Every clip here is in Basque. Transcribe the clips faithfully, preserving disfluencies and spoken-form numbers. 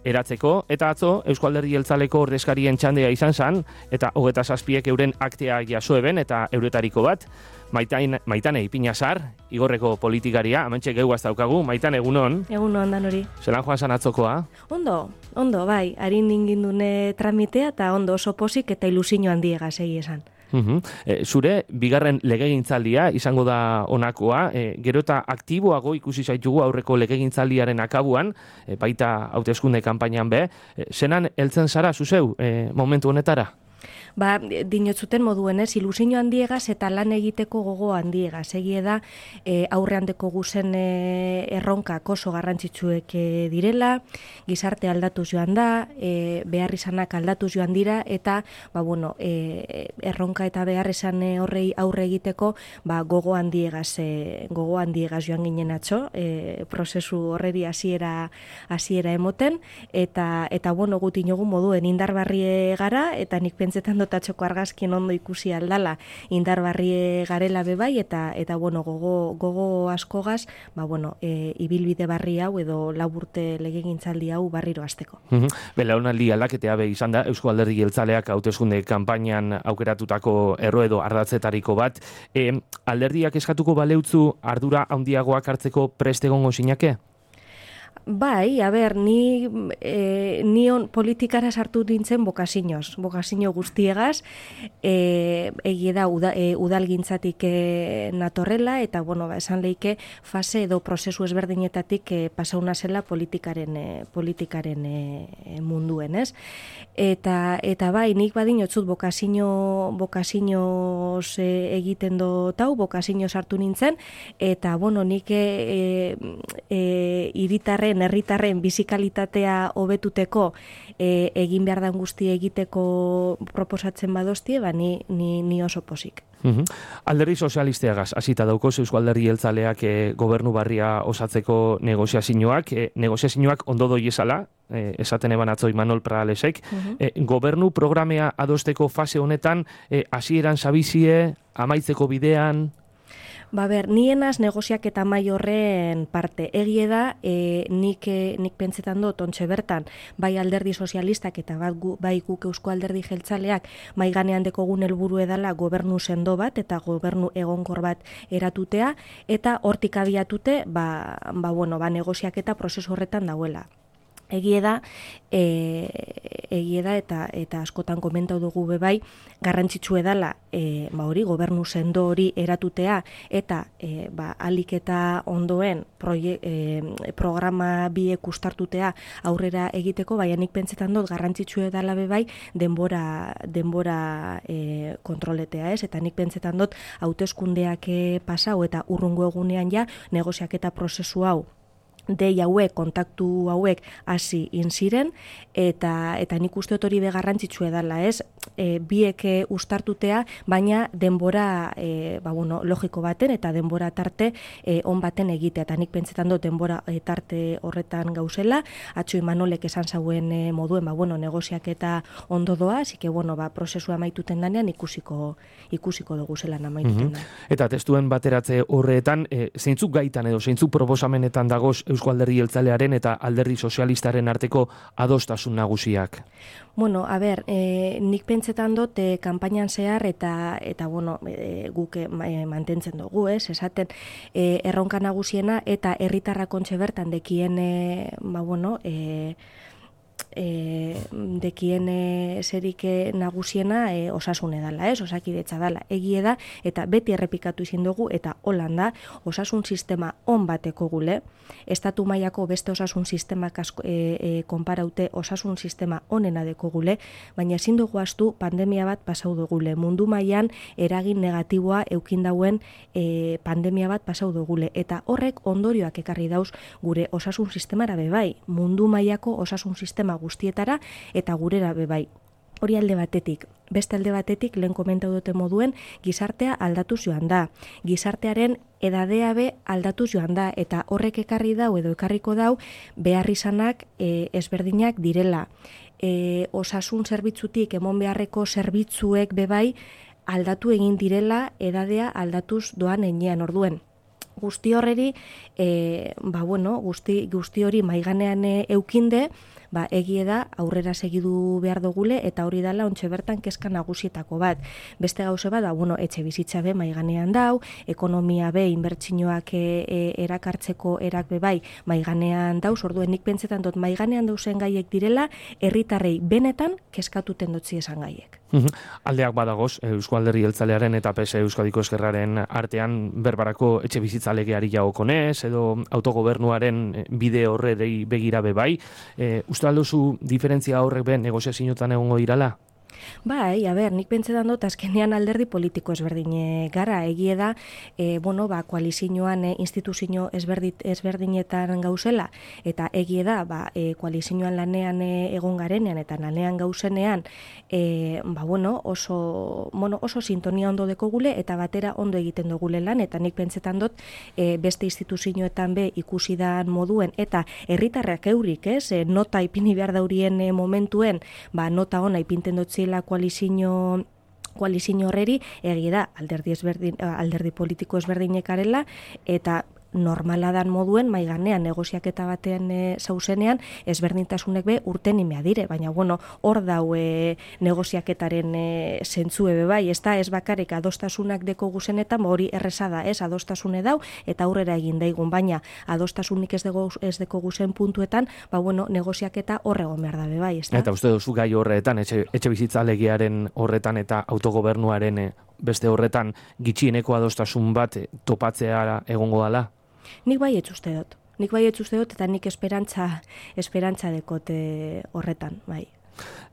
eratzeko, eta atzo Euzko Alderdi Jeltzaleko ordezkarien txandea izan zen, eta hogeta zazpiek euren aktea jaso eben, eta euretariko bat, Maitain, Maitane Ipinazar, Igorreko politikaria, hementxe gehuaz daukagu. Maitane, egunon? Egunon, dan hori. Zelan joan zan atzokoa? Ondo, ondo, bai, harin ingindune tramitea, eta ondo oso posik eta ilusio handiega segi esan. Uhum. E, zure, bigarren legegintzaldia izango da honakoa, e, gero eta aktiboago ikusi zaitugu aurreko legegintzaldiaren akabuan, e, baita hauteskunde kanpainan be, e, zenan heltzen zara, zuzeu, e, momentu honetara? Ba, dinotzuten moduen ez, ilusio handiegaz eta lan egiteko gogo handiegaz. Egie da, e, aurrean deko guzen e, erronkak oso garrantzitsuek e, direla, gizarte aldatuz joan da, e, behar izanak aldatuz joan dira, eta ba, bueno, e, erronka eta behar izan horrei aurre egiteko ba, gogo handiegaz, e, gogo handiegaz joan ginen atzo, e, prozesu horreri hasiera hasiera emoten, eta, eta bueno, guti inogu moduen indarbarrie gara, eta nik pentsetan dotatxoko argazkien ondo ikusi aldala indarbarrie garela bebai, eta eta bueno, gogo, gogo askogaz, ba bueno, e, ibilbide barri hau edo laburte legegintzaldi hau barriro hasteko. Mm-hmm. Belaunaldi aldaketea be izan da, Eusko Alderdi Jeltzaleak hauteskunde kanpainan aukeratutako erro edo ardatzetariko bat. E, alderdiak eskatuko baleutzu ardura handiagoak hartzeko prest egongo zinake? Bai, a ber, ni, e, ni on politikara sartu nintzen bokazinoz, bokazino guztiegaz, e, egie da uda, e, udalgintzatik e, natorrela, eta bueno, ba, esan leike fase edo prozesu ezberdinetatik e, pasauna zela politikaren, e, politikaren e, munduen, ez? Eta, eta bai, nik badinotzut bokazino, bokazinoz e, egiten do tau, bokazino sartu nintzen, eta bueno, nik e, e, iritarren herritarren bizikalitatea hobetuteko e, egin behar dan guzti egiteko proposatzen badostie, ba ni, ni, ni oso posik. Uhum. Alderdi sozialisteagaz, hasita daukoz Eusko Alderdi Jeltzaleak e, gobernu barria osatzeko negoziazioak, e, negoziazioak ondo doiezala, e, esaten eban atzo Imanol Pralesek, uhum. e, gobernu programea adosteko fase honetan, e, hasieran zabizie, amaitzeko bidean... Ba ber, nienaz negoziak eta mai horren parte. Egie da, e, nik, e, nik pentsetan dut, ontxe bertan, bai alderdi sozialistak eta bat gu, bai guk Eusko Alderdi Jeltzaleak mai ganean dekogun helburu edala gobernu sendo bat eta gobernu egonkor bat eratutea, eta hortik abiatute, ba, ba, bueno, ba, negoziak eta prozesu horretan dauela. Egie da, e, egie da eta eta askotan komentau dugu bebai, garrantzitsu edala, e, ba hori gobernu sendo hori eratutea eta e, ba alik eta ondoen proie, e, programa biek ustartutea aurrera egiteko, baina nik pentsetan dut garrantzitsu edala bebai denbora denbora e, kontroletea, ez? Eta nik pentsetan dut hauteskundeak e, pasau eta urrungo egunean ja negoziaketa prozesu hau dei hauek, kontaktu hauek hasi inziren, eta eta nik uste hori be garrantzitsu edala, ez? E, biek ustartutea, baina denbora e, ba, bueno, logiko baten eta denbora tarte e, on baten egitea, eta nik pentsetan dut denbora e, tarte horretan gauzela, atxo Imanolek esan zauen e, moduen, ba, bueno, negoziak eta ondo doa, zike, bueno, ba, prozesua amaituten danean ikusiko, ikusiko dugu zelan amaituten da. Mm-hmm. Eta testuen bateratze horretan, e, zeintzuk gaitan edo zeintzuk proposamenetan dagoz Eusko Alderdi Jeltzalearen eta Alderdi Sozialistaren arteko adostasun nagusiak? Bueno, a ber, e, nik pentsetan dut e, kanpainan zehar eta eta bueno, e, guk e, mantentzen dugu, ez? Esaten e, erronka nagusiena eta herritarrak ontxe bertan dekien e, ba bueno, e, e, dekien e, zerik nagusiena e, osasun edala, ez? Osakidetza dala. Egie da, eta beti errepikatu izin dugu, eta holan da, osasun sistema on bateko gule, estatu mailako beste osasun sistemak asko, e, e, konparaute osasun sistema onena deko gule, baina ezin dugu astu pandemia bat pasau dugule. Mundu mailan eragin negatiboa eukin dauen e, pandemia bat pasau dugule, eta horrek ondorioak ekarri dauz gure osasun sistemara bebai, mundu mailako osasun sistema guztietara eta gurera bebai. Hori alde batetik. Beste alde batetik, lehen komentau dute moduen, gizartea aldatuz joan da. Gizartearen edadea be aldatuz joan da, eta horrek ekarri dau edo ekarriko dau behar izanak e, ezberdinak direla. E, osasun zerbitzutik emon beharreko zerbitzuek bebai aldatu egin direla edadea aldatuz doan enean orduen. Guzti horreri, e, ba bueno, guzti, guzti hori maiganean e, eukinde, ba, egie da aurrera segidu behar dugule, eta hori dala ontxe bertan kezka nagusietako bat. Beste gauze bat, da, bueno, etxe bizitza be maiganean dau, ekonomia be, inbertsinoak e, e, erakartzeko erak be bai maiganean dauz, orduen nik pentsetan dut maiganean dauzen gaiek direla, herritarrei benetan kezkatuten dutzi esan gaiek. Aldeak badagoz, Eusko Alderdi Jeltzalearen eta P S Euskadiko Ezkerraren artean berbarako etxe bizitza legeari jagokonez, edo autogobernuaren bide horrei begira be bai. E, uste alduzu diferentzia horrek ben negoziazioetan egongo dirala? Bai, a ber, nik pentsetan dut azkenean alderdi politiko ezberdine gara, egie da, e, bueno, ba, koalizioan e, instituzio ezberdit, ezberdinetan gauzela, eta egie da, ba, e, koalizioan lanean e, egon garenean, eta lanean gauzenean, e, ba, bueno, oso, bueno, oso sintonia ondo dekogule, eta batera ondo egiten dugule lan, eta nik pentsetan dut, e, beste instituzioetan be ikusi dan moduen, eta herritarrak eurik, ez, e, nota ipini behar daurien e, momentuen, ba, nota ona ipinten dut zila koalizio koalizio horreri, egia da, alderdi, ezberdin, alderdi politiko ezberdinekarela, eta normala dan moduen, maiganean negoziaketa batean e, zauzenean, ezberdintasunek be urten imea dire, baina bueno, hor dau e, negoziaketaren e, zentzue be bai, ez da, ez bakarrik adostasunak deko guzenetan, hori errezada, ez, adostasune dau, eta aurrera egin daigun, baina adostasunik ez, dego, ez deko guzen puntuetan, ba bueno, negoziaketa horrego behar da be bai, ez da. Eta uste duzu gai horretan, etxe, etxe bizitza legearen horretan eta autogobernuaren e, beste horretan gitxieneko adostasun bat e, topatzea egongo dala? Nik bai etz uste dut. Nik bai etz uste dut, eta nik esperantza, esperantza dekote horretan, bai.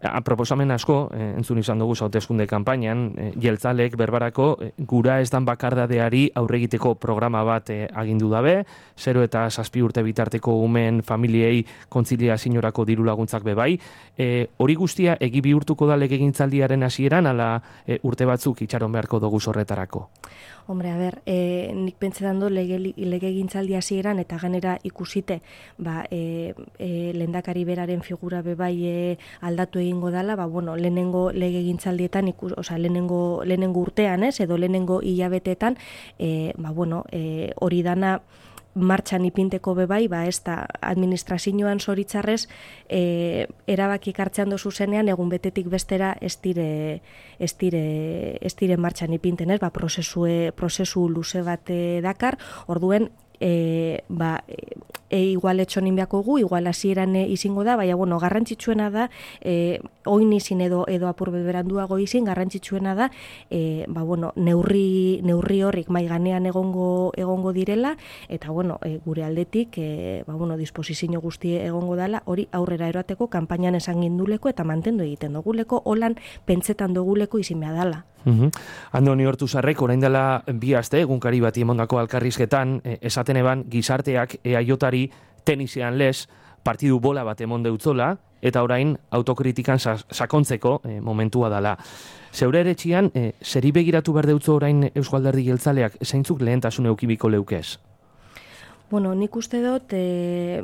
A, proposamen asko, eh, entzun izan dugu hauteskunde kanpainan, eh, jeltzalek berbarako eh, gura ez dan bakardadeari aurregiteko programa bat eh, agindu dabe, zero eta zazpi urte bitarteko umen familiei kontziliaziorako diru laguntzak bebai. Eh, hori guztia egi bihurtuko da legegintzaldiaren hasieran, ala eh, urte batzuk itxaron beharko dugu horretarako? Hombre, a ber, e, nik pentsetan du lege, lege gintzaldi hasieran eta ganera ikusite, ba, e, e, lehendakari beraren figura bebai e, aldatu egingo dala, ba, bueno, lehenengo lege gintzaldietan, ikus, oza, lehenengo, lehenengo urtean, ez, edo lehenengo hilabetetan, e, ba, bueno, e, hori dana martxan ipinteko bebai, ba, ez da administrazioan zoritzarrez e, erabakik hartzean dozu zenean, egun betetik bestera ez dire, ez dire, ez dire martxan ipinten, ez, ba, prozesue, prozesu luze bat dakar, orduen, e, ba, e, igual etxonin beako gu, igual hasieran e, izingo da, baina, bueno, garrantzitsuena da, e, oin izin edo, edo apur beberanduago izin, garrantzitsuena da, e, ba, bueno, neurri, neurri horrik maiganean egongo, egongo direla, eta, bueno, e, gure aldetik, e, ba, bueno, disposizio guzti egongo dala, hori aurrera eroateko, kanpainan esan ginduleko, eta mantendu egiten duguleko, holan pentsetan duguleko izimea dala. Uhum. Andoni Ortuzarrek, orain dela bi aste, egunkari bati emondako alkarrizketan, esaten eban gizarteak eaiotari tenisean lez, partidu bola bat emonde utzola, eta orain autokritikan sakontzeko e, momentua dala. Zeure ere txian, e, zeri begiratu behar deutzo orain Eusko Alderdi Jeltzaleak, zeintzuk lehentasun eukibiko leukez? Bueno, nik uste dut, e,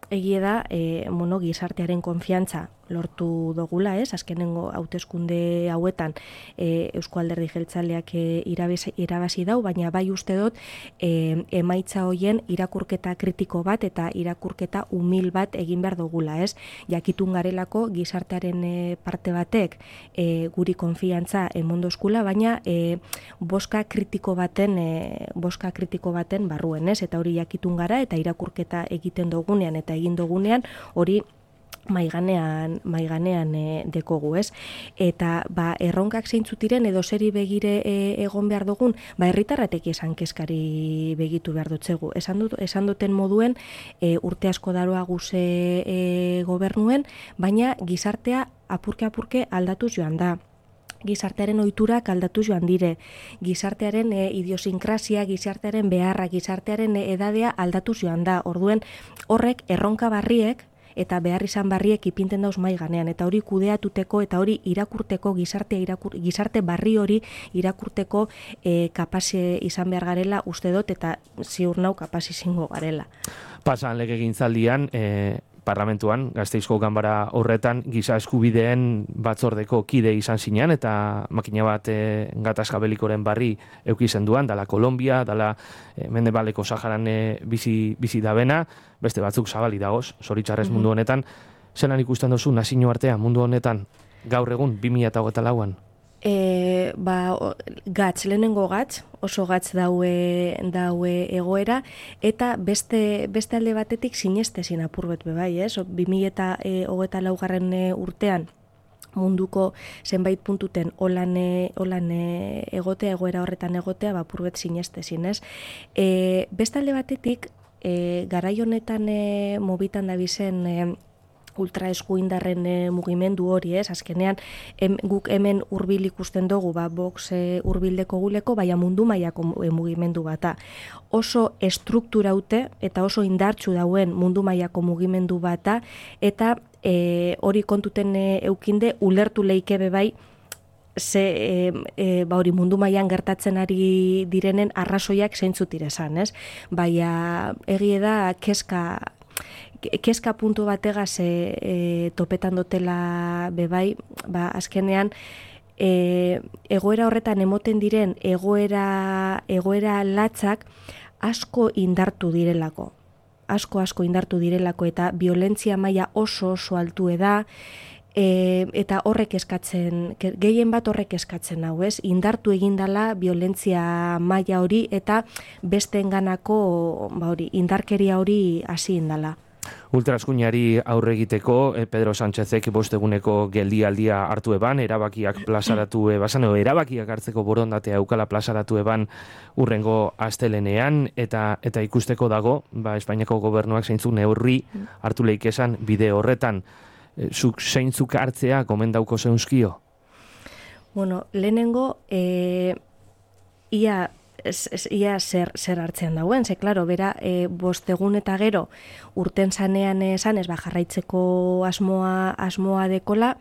egie da, e, mono, gizartearen konfiantza lortu dogula, ez? Azkenengo hauteskunde hauetan e, Eusko Alderdi Jeltzaleak e, irabazi, irabazi dau, baina bai uste dut e, emaitza hoien irakurketa kritiko bat eta irakurketa umil bat egin behar dugula, ez? Jakitun garelako gizartearen e, parte batek e, guri konfiantza emondozkula, baina e, boska kritiko baten e, boska kritiko baten barruen, ez? Eta hori jakitun gara eta irakurketa egiten dugunean eta egin dugunean hori maiganean, maiganean e, dekogu, ez? Eta, ba, erronkak zeintzutiren edo zeri begire e, egon behar dugun, ba, herritarratek esan kezkari begitu behar dutzegu. Esan, dut, esan duten moduen e, urte asko daroa guze e, gobernuen, baina gizartea apurke-apurke aldatuz joan da. Gizartearen ohiturak aldatu joan dire, gizartearen e, idiosinkrasia, gizartearen beharra, gizartearen e, edadea aldatu joan da. Orduen horrek erronka barriek eta behar izan barriek ipinten dauz mai ganean, eta hori kudeatuteko eta hori irakurteko, gizartea irakur, gizarte barri hori irakurteko e, kapase izan behar garela uste dut, eta ziur nau kapasi izango garela. Pasan legegintzaldian, e, parlamentuan, Gasteizko ganbara horretan, giza eskubideen batzordeko kide izan zinean, eta makina bat e, gatazka belikoren barri eukizen duan, dala Kolombia, dala e, Mendebaleko Saharan e, bizi, bizi dabena, beste batzuk zabali dagoz, zoritxarrez mundu honetan. zelan ikusten duzu nazio artea mundu honetan, gaur egun, bi mila hogeita lauan? E, ba, gatz, lehenengo gatz, oso gatz daue, daue egoera, eta beste, beste alde batetik sinestezin apurbet bebai, ez? bi mila hogeita laugarren urtean, munduko zenbait puntuten holan, holan egotea, egoera horretan egotea, ba, apurbet sinestezin, ez? E, beste alde batetik, e, garai honetan e, mobitan dabizen e, ultraeskuindarren e, mugimendu hori, ez? Azkenean, em, guk hemen hurbil ikusten dugu, ba, box e, hurbildeko guleko, baina mundu mailako e, mugimendu bata. Oso estrukturaute eta oso indartsu dauen mundu mailako mugimendu bata, eta e, hori kontuten e, eukinde, ulertu leike bebai, ze e, e, ba hori mundu mailan gertatzen ari direnen arrazoiak zeintzuk direzan, ez? Baina egie da kezka kezka puntu bategaz e, e, topetan dotela bebai, ba azkenean e, egoera horretan emoten diren egoera egoera latzak asko indartu direlako. Asko asko indartu direlako eta violentzia maila oso oso altue da. E, eta horrek eskatzen, gehien bat horrek eskatzen hau, ez? Indartu egindala violentzia maila hori eta besteenganako ba hori, indarkeria hori hasi indala. Ultraeskuinari aurre egiteko, eh, Pedro Sánchezek bosteguneko geldialdia hartu eban, erabakiak plazaratu eban, o erabakiak hartzeko borondatea eukala plazaratu eban urrengo astelenean, eta eta ikusteko dago, ba, Espainiako gobernuak zeintzuk neurri hartu leikesan bide horretan. Zuk zeintzuk hartzea gomendauko zeunzkio? Bueno, lehenengo, e, ia, ez, ez, ia zer, zer hartzean dauen, ze, klaro, bera, e, bostegun eta gero urten zanean esan, ez ba, jarraitzeko asmoa, asmoa dekola,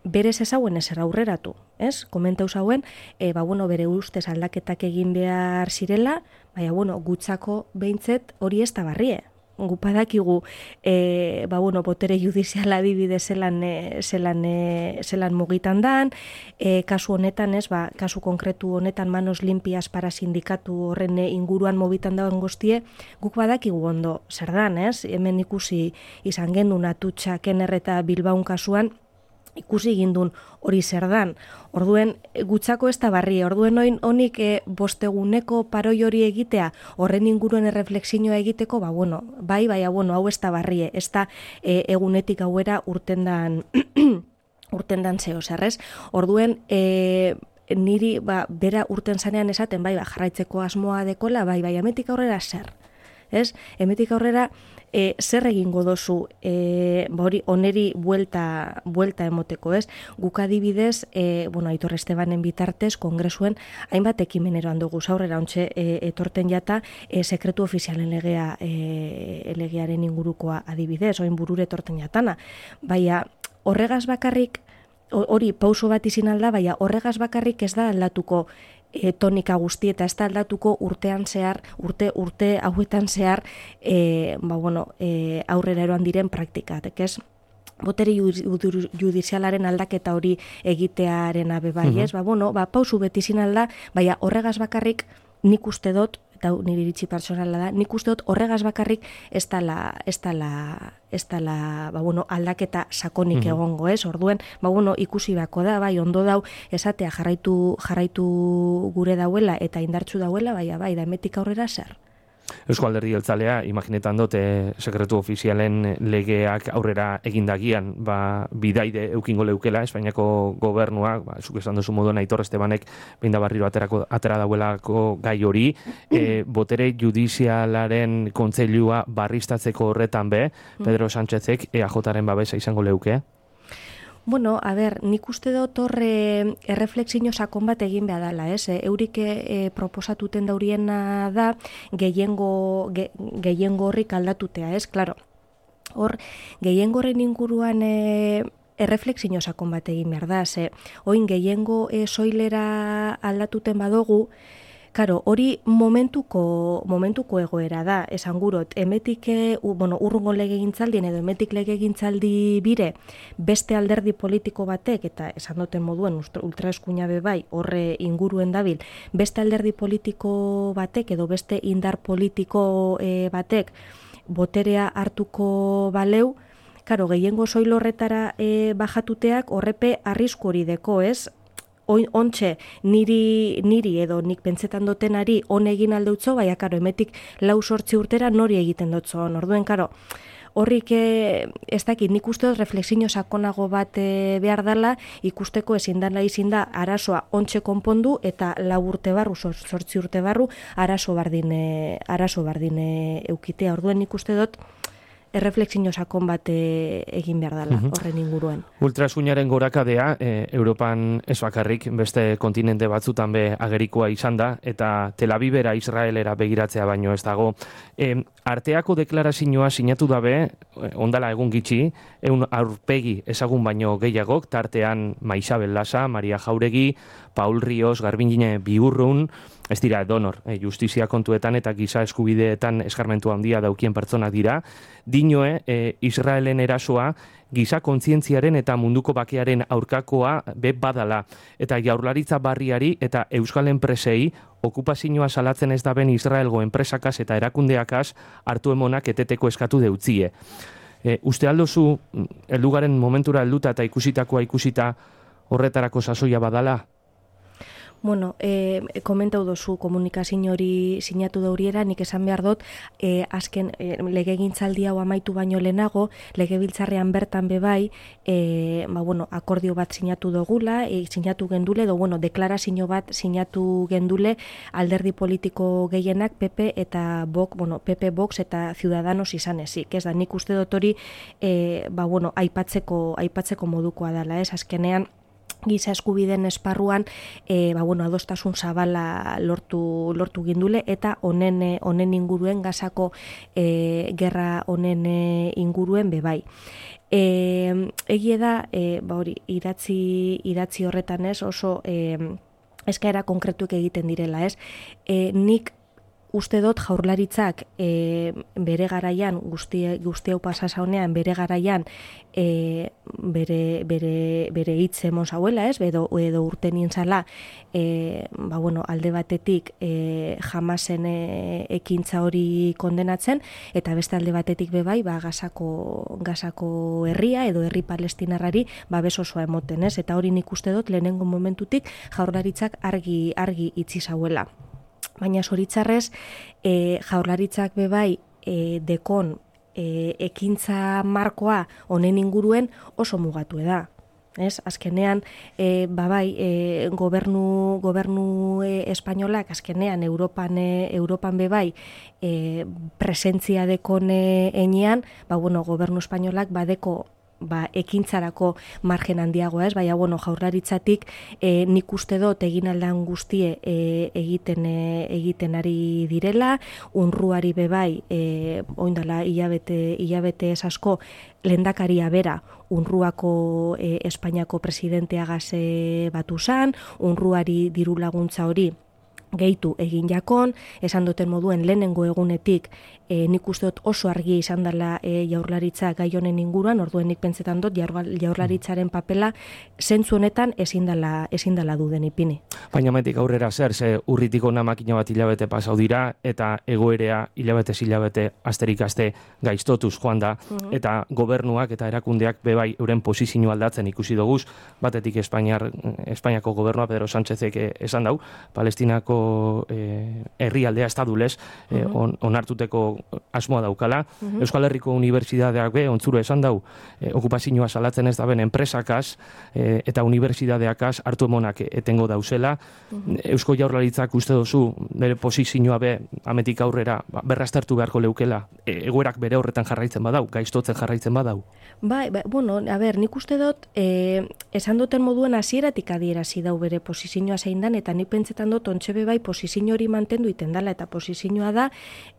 berez ezauen ezer aurreratu, ez? Komentau zauen, e, ba, bueno, bere ustez aldaketak egin behar zirela, baina, bueno, gutzako behintzet hori ez da barrie. Gupadakigu, e, ba, bueno, botere judiziala adibide zelan, e, zelan, e, zelan mugitan dan, e, kasu honetan, ez, ba, kasu konkretu honetan manos limpias para sindikatu horren inguruan mobitan dauen guztie, guk badakigu ondo zer dan, ez? Hemen ikusi izan gendun Atutxa, Kenner eta Bilbaun kasuan, ikusi gindun hori zer dan. Orduen, gutzako ez da barri, orduen oin honik e, bosteguneko paroi hori egitea, horren inguruen erreflexioa egiteko, ba, bueno, bai, bai, bueno, hau ez da barri, ez da e, egunetik hauera urtendan, urtendan zeo zerrez. Orduen, e, niri, ba, bera urten zanean esaten, bai, ba, jarraitzeko asmoa dekola, bai, bai, hemetik aurrera zer. Ez? Hemetik aurrera e, zer egingo dozu e, ba hori oneri buelta, buelta emoteko, ez? Guk adibidez, e, bueno, Aitor Estebanen bitartez, kongresuen, hainbat ekimeneroan dugu aurrera ontxe e, etorten jata e, sekretu ofizialen legea e, legearen ingurukoa adibidez, oin burure etorten jatana. Baina horregaz bakarrik, hori pauso bat izin alda, baina horregaz bakarrik ez da aldatuko E, tonika guzti eta ez da aldatuko urtean zehar, urte urte hauetan zehar, e, ba, bueno, e, aurrera eroan diren praktikak, ez? Botere judizialaren aldaketa hori egitearen abe bai, ez? Ba, bueno, ba, pausu beti izin alda, baina horregaz bakarrik nik uste dut, eta nire iritsi personala da, nik uste dut horregaz bakarrik ez dala, ez dala, ez dala, ba, bueno, aldaketa sakonik egongo, ez? Orduen, ba, bueno, ikusi bako da, bai, ondo dau, esatea jarraitu, jarraitu gure dauela eta indartsu dauela, bai, bai, da emetik aurrera zer. Eusko Alderdi Jeltzalea, imaginetan dut, eh, sekretu ofizialen legeak aurrera egindagian, ba, bidaide eukingo leukela, Espainiako gobernuak, ba, zuk esan duzu moduan Aitor Estebanek behin da barriro aterako, atera dauelako gai hori, e, botere judizialaren kontseilua barriztatzeko horretan be, Pedro Sánchezek E A Jaren babesa izango leuke? Bueno, a ber, nik uste dut horre erreflexio sakon bat egin behar dela, ez? E, eurik e, proposatuten dauriena da gehiengo, ge, gehiengo horrik aldatutea, ez? Claro, hor, gehiengo horren inguruan e, erreflexio sakon bat egin behar da, ze, oin gehiengo e, soilera aldatuten badogu, Karo, hori momentuko momentuko egoera da, esan gurot, emetik, u, bueno, urrungo legegintzaldien edo emetik legegintzaldi bire beste alderdi politiko batek, eta esan duten moduen ultraeskuina be bai, horre inguruen dabil, beste alderdi politiko batek edo beste indar politiko e, batek boterea hartuko baleu, karo, gehiengo soil horretara e, bajatuteak horrepe arrisku hori deko, ez? Ontxe, niri, niri edo nik pentsetan dotenari on egin aldeutzo, baina karo, emetik lau sortzi urtera nori egiten dutzo. Orduen, karo, horrik ez dakit, nik uste dut refleksio sakonago bat e, behar dela, ikusteko ezin dela izin da arazoa ontxe konpondu eta lau urte barru, sortzi urte barru, arazo bardin, e, arazo bardin e, eukitea. Orduen nik uste dut, erreflexio sakon bat e, egin behar dela, uh-huh. horren inguruan. Ultrasuinaren gorakadea, e, Europan ez bakarrik, beste kontinente batzutan be agerikoa izan da, eta Tel Avivera, Israelera begiratzea baino ez dago. E, arteako deklarazioa sinatu dabe, ondala egun gitxi, eun aurpegi ezagun baino gehiagok, tartean Maixabel Lasa, Maria Jauregi, Paul Ríos, Garbine Biurrun, ez dira donor, e, justizia kontuetan eta giza eskubideetan eskarmentu handia daukien pertsonak dira, dinoe e, Israelen erasoa giza kontzientziaren eta munduko bakearen aurkakoa be badala, eta jaurlaritza barriari eta euskal enpresei okupazioa salatzen ez daben Israelgo enpresakaz eta erakundeakaz hartu emonak eteteko eskatu deutzie. E, uste aldozu, eldugaren momentura helduta eta ikusitakoa ikusita horretarako sasoia badala? Bueno, e, komentau dozu komunikazio hori sinatu dauriera, nik esan behar dut, e, azken e, legegintzaldi hau amaitu baino lehenago, legebiltzarrean bertan bebai, e, ba, bueno, akordio bat sinatu dugula, e, sinatu gendule, edo, bueno, deklarazio bat sinatu gendule alderdi politiko gehienak P P eta Vox, bueno, P P, Vox eta Ciudadanos izan ezik, ez da, nik uste dut hori, e, ba, bueno, aipatzeko, aipatzeko modukoa dela, ez, azkenean, giza eskubideen esparruan e, ba, bueno, adostasun zabala lortu, lortu gindule eta honen honen inguruen gazako e, gerra honen inguruen bebai. E, egie da, e, ba, hori, idatzi, idatzi horretan ez oso e, eskaera konkretuek egiten direla, ez? E, nik uste dut jaurlaritzak e, bere garaian, guzti, guzti hau pasasa honean, bere garaian e, bere, bere, bere hitz emon zauela, ez? Edo, edo urten nintzala, e, ba, bueno, alde batetik e, Hamasen e, ekintza hori kondenatzen, eta beste alde batetik bebai, ba, gazako, gazako herria edo herri palestinarrari babes osoa emoten, ez? Eta hori nik uste dut lehenengo momentutik jaurlaritzak argi, argi itzi zauela. Baina zoritzarrez, e, jaurlaritzak bebai e, dekon e, ekintza markoa honen inguruen oso mugatu da. Ez? Azkenean, e, babai, e, gobernu, gobernu e, espainolak, azkenean, Europan, e, Europan bebai, e, presentzia dekon e, enean, ba, bueno, gobernu espainolak badeko ba, ekintzarako margen handiagoa, ez? Baina, bueno, jaurlaritzatik e, nik uste dut egin aldan guztie e, egiten e, egiten ari direla, unruari bebai, e, oindala hilabete, hilabete ez asko, lehendakaria bera, unruako e, Espainiako presidenteagaz e, batu zan, unruari diru laguntza hori gehitu egin jakon, esan duten moduen lehenengo egunetik e, nik uste dut oso argi izan dela e, jaurlaritza gai honen inguruan, orduen nik pentsetan dut jaurlaritzaren papela zentzu honetan ezin dela, ezin dela duden ipini. Baina metik aurrera zer, ze urritik ona makina bat hilabete pasau dira, eta egoerea hilabete hilabete asterik aste gaiztotuz joan da, uh-huh. eta gobernuak eta erakundeak bebai euren posizio aldatzen ikusi doguz, batetik Espainiar, Espainiako gobernua Pedro Sánchezek esan dau, Palestinako eh, herrialdea estadulez eh, uh-huh. on, onartuteko asmoa daukala. Uh-huh. Euskal Herriko Unibertsitateak be, ontzuro esan dau, eh, okupazioa salatzen ez daben enpresakaz eh, eta unibertsitateakaz hartu emonak etengo dauzela. Uh-huh. Eusko Jaurlaritzak uste dozu, bere posizioa be, ametik aurrera, ba, berraztertu beharko leukela, e, egoerak bere horretan jarraitzen badau, gaiztotzen jarraitzen badau. Bai, ba, bueno, a ber, nik uste dut, eh, esan duten moduen hasieratik adierazi dau bere posizioa zein dan, eta nik pentsetan dut ontxe bai posizio hori mantendu iten dela, eta posizioa da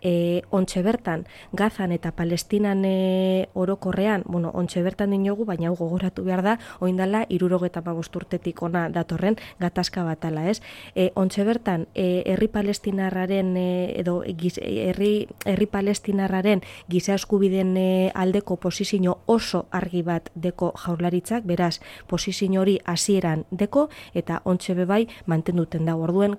e, ontxe bertan Gazan eta Palestinan e, orokorrean, bueno, ontxe bertan dinogu, baina hau gogoratu behar da, oindala hirurogeta hamabost urtetik ona datorren gatazka batala, ez? E, ontxe bertan e, herri palestinarraren e, edo giz, herri, herri palestinarraren giza eskubideen e, aldeko posizio oso argi bat deko jaurlaritzak, beraz, posizio hori hasieran deko, eta ontxe bebai mantenduten da. Orduen,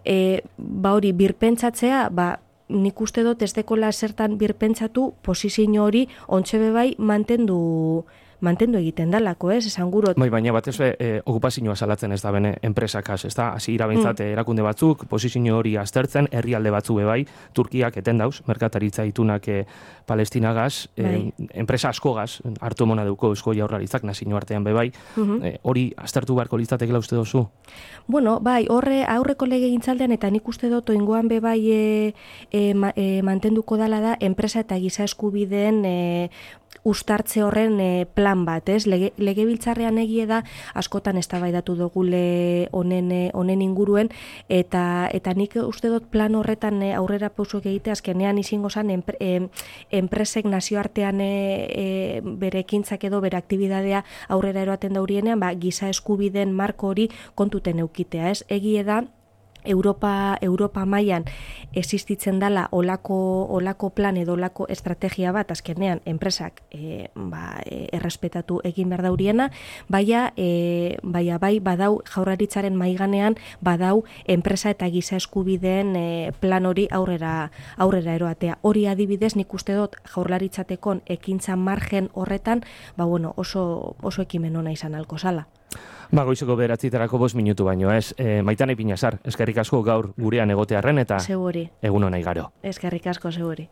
E, ba hori birpentsatzea, ba, nik uste dut ez dekola zertan birpentsatu posizio hori ontxe bebai mantendu mantendu egiten dalako, ez, esan gurot. Bai, baina batez be, e, okupazioa salatzen ez da bene enpresakaz, ez da, hasi irabentzat mm. erakunde batzuk, posizio hori aztertzen, herrialde batzu bebai, Turkiak eten dauz, merkataritza itunak e, Palestinagaz, e, enpresa askogaz, hartu mona duko Eusko Jaurlaritzak nazio artean bebai, mm-hmm. e, hori aztertu beharko litzatekela uste dozu? Bueno, bai, horre aurreko legegintzaldean eta nik uste dut oingoan bebai e, e, ma, e, mantenduko dala da enpresa eta giza eskubideen e, ustartze horren e, plan bat, ez? Lege, legebiltzarrean egie da askotan eztabaidatu dugule honen honen inguruen eta eta nik uste dut plan horretan e, aurrera pausoak egite azkenean izango zan enpre, e, enpresek nazioartean e, e, bere ekintzak edo bere aktibitatea aurrera eroaten daurienean, ba giza eskubideen marko hori kontuten eukitea, ez? Egie da Europa Europa mailan existitzen dala olako olako plan edo olako estrategia bat azkenean enpresak e, ba, e, errespetatu egin behar dauriena, baina e, baina bai badau Jaurlaritzaren maiganean badau enpresa eta giza eskubideen e, plan hori aurrera aurrera eroatea. Hori adibidez nik uste dut Jaurlaritzatekon ekintza margen horretan, ba bueno, oso oso ekimen ona izan alko sala. Ba, goizeko beratziterako bost minutu baino, ez? E, Maitane Pinazar, eskerrik asko gaur gurean egotearren eta Seguri. Egun ona igaro. Eskerrik asko, seguri.